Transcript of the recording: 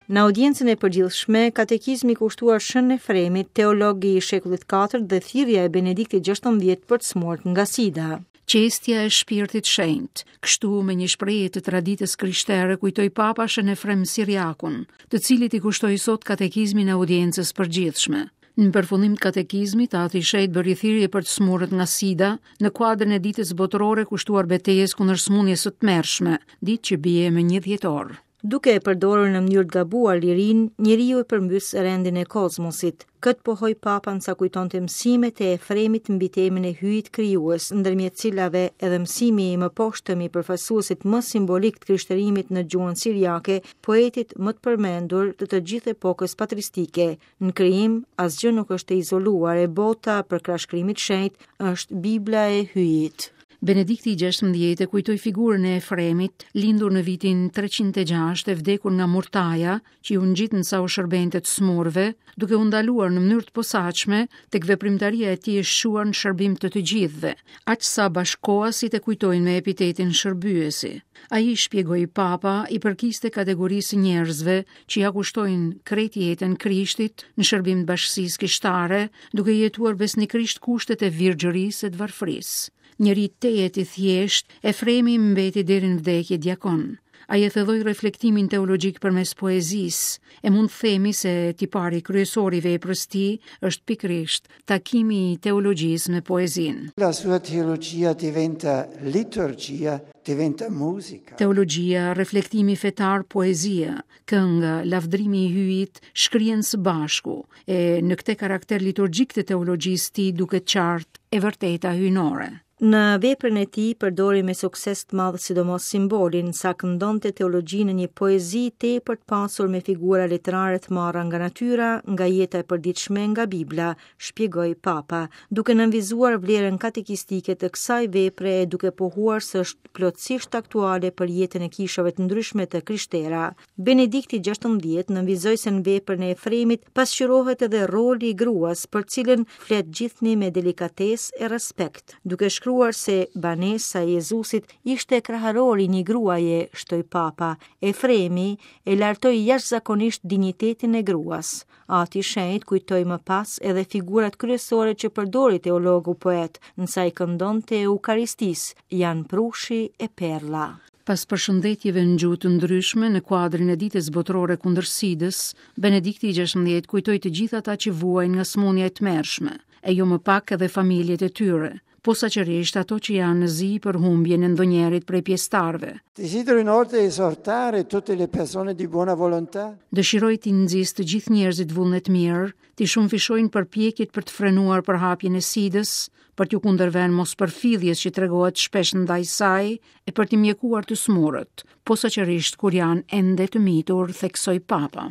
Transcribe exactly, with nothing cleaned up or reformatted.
Në audiencën e përgjithshme, katekizmi kushtuar Shën Efremit, teolog i shekullit katërt dhe thirrja e Benediktit gjashtëmbëdhjetë për të smurt nga Sida. Qestja e shpirtit shenjt, kështu me një shprehje të traditës krishtere kujtoi Papa Shën Efrem Siriakun, të cilit i kushtoi sot katekizmin e audiencës përgjithshme. Në përfundim të katekizmit, Ati i Shenjtë bëri thirrje për të smurët nga Sida në kuadrin e ditës botërore kushtuar betejës kundër sëmundjes së tmerrshme, ditë që bie më një dhjetor. Duke e përdorur në mënyrë të gabuar lirinë, njeriu e përmbys rendin e kozmosit. Këtë pohoi Papa sa kujtonte mësimet e Efremit mbi temën e hyjit krijues, ndërmjet cilave edhe mësimi i mëposhtëm i përfaqësuesit më simbolik të krishterimit në gjuhën siriake, poetit më të përmendur të të gjithë epokës patristike. Në krijim, asgjë nuk është e izoluar, e bota për shkrimit shenjt është Bibla e hyjit. Benedikti i gjashtëmbëdhjetë e kujtoi figurën e Efremit, lindur në vitin treqind e gjashtë e vdekur nga murtaja, që iu ngjit në sa u shërbente të smurve, duke u ndaluar në mënyrë të posaçme tek veprimtaria e tij e shquar në shërbim të të gjithëve, aq sa bashkoasit e kujtojnë me epitetin shërbyesi. Ai, shpjegoi Papa, i përkiste kategorisë së njerëzve që ja kushtojnë krejt jetën Krishtit në shërbim të bashkësisë kishtare, duke jetuar besnikërisht kushtet e virgjërisë e të varfërisë. Njëri tejet i thjesht, Efremi mbeti deri në vdekje diakon. Ai e thelloi reflektimin teologjik përmes poezisë, e mund të themi se tipari kryesor i veprës tij është pikërisht takimi i teologjisë me poezinë. La sua teologia diventa liturgia, diventa musica. Teologjia, reflektimi fetar, poezia, kënga, lavdrimi i hyjit shkrihen së bashku, e në këtë karakter liturgjik të teologjisë tij duket qartë e vërteta hyjnore. Në veprën e tij përdori me sukses të madh sidomos simbolin, sa këndonte teologjinë në një poezi tepër të pasur me figura letrare të marra nga natyra, nga jeta e përditshme, nga Bibla, shpjegoi Papa, duke nënvizuar vlerën katekistike të kësaj vepre e duke pohuar se është plotësisht aktuale për jetën e kishave të ndryshme të krishtera. Benedikti gjashtëmbëdhjetë nënvizoi se në veprën e Efremit pasqyrohet edhe roli i gruas, për cilën flet gjithnjë me delikatesë e respekt, duke shkruar se banesa e Jezusit ishte kraharori i një gruaje, shtoi Papa. Efremi e lartoi jashtëzakonisht dinjitetin e gruas. Ati i Shenjt kujtoi më pas edhe figurat kryesore që përdori teologu poet, nësa i këndonte Eukaristisë, janë prushi e perla. Pas përshëndetjeve në gjuhë të ndryshme në kuadrin e ditës botërore kundër Sidës, Benedikti i gjashtëmbëdhjetë kujtoi të gjithë ata që vuajnë nga sëmundja e tmerrshme, e jo më pak edhe familjet e tyre, posaçërisht ato që janë në zi për humbjen e ndonjërit prej pjesëtarëve. Desidero inoltre esortare tutte le persone di buona volontà. Dëshiroj t'i nxis të gjithë njerëzit vullnet mirë, t'i shumëfishojnë përpjekjet për të frenuar përhapjen e Sidës, për t'ju kundërvënë mospërfilljes që tregohet shpesh ndaj saj e për t'i mjekuar të smurët, posaçërisht kur janë ende të mitur, theksoi Papa.